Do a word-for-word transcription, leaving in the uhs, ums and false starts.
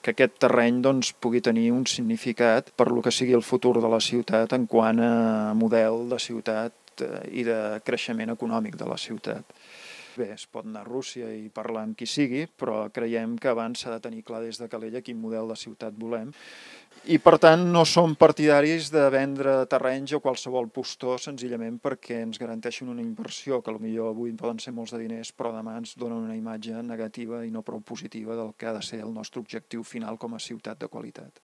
que aquest terreny doncs, pugui tenir un significat per lo que sigui el futur de la ciutat en quant a model de ciutat i de creixement econòmic de la ciutat. Bé, es pot anar a Rússia i parlar amb qui sigui, però creiem que abans s'ha de tenir clar des de Calella quin model de ciutat volem. I per tant no som partidaris de vendre terrenys o qualsevol postor senzillament perquè ens garanteixin una inversió que potser avui poden ser molts de diners però demà ens donen una imatge negativa i no prou positiva del que ha de ser el nostre objectiu final com a ciutat de qualitat.